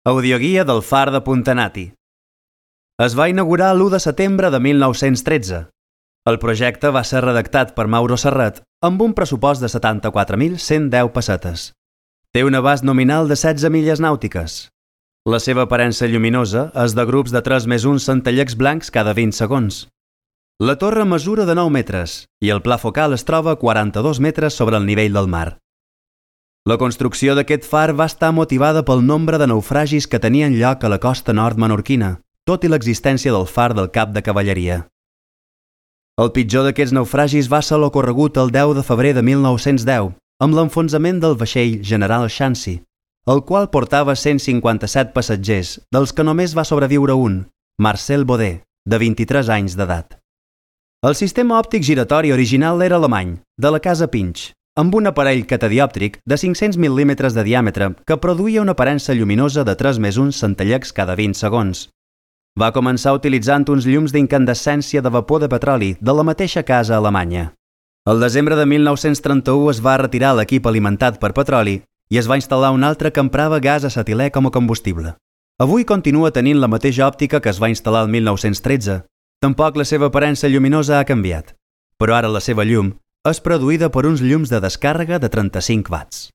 Audioguia del Far de Puntanati. Es va inaugurar l'1 de setembre de 1913. El projecte va ser redactat per Mauro Serret amb un pressupost de 74.110 pessetes. Té un abast nominal de 16 milles nàutiques. La seva aparença lluminosa és de grups de 3+1 centellecs blancs cada 20 segons. La torre mesura de 9 metres i el pla focal es troba a 42 metres sobre el nivell del mar. La construcció d'aquest far va estar motivada pel nombre de naufragis que tenien lloc a la costa nord menorquina, tot i l'existència del far del cap de cavalleria. El pitjor d'aquests naufragis va ser l'ocorregut el 10 de febrer de 1910, amb l'enfonsament del vaixell General Shansi, el qual portava 157 passatgers, dels que només va sobreviure un, Marcel Baudet, de 23 anys d'edat. El sistema òptic giratori original era alemany, de la casa Pinch, amb un aparell catadiòptric de 500 mil·límetres de diàmetre que produïa una aparença lluminosa de 3+1 centellecs cada 20 segons. Va començar utilitzant uns llums d'incandescència de vapor de petroli de la mateixa casa alemanya. El desembre de 1931 es va retirar l'equip alimentat per petroli i es va instal·lar un altre que emprava gas acetilè com a combustible. Avui continua tenint la mateixa òptica que es va instal·lar el 1913. Tampoc la seva aparença lluminosa ha canviat, però ara la seva llum és produïda per uns llums de descàrrega de 35 watts.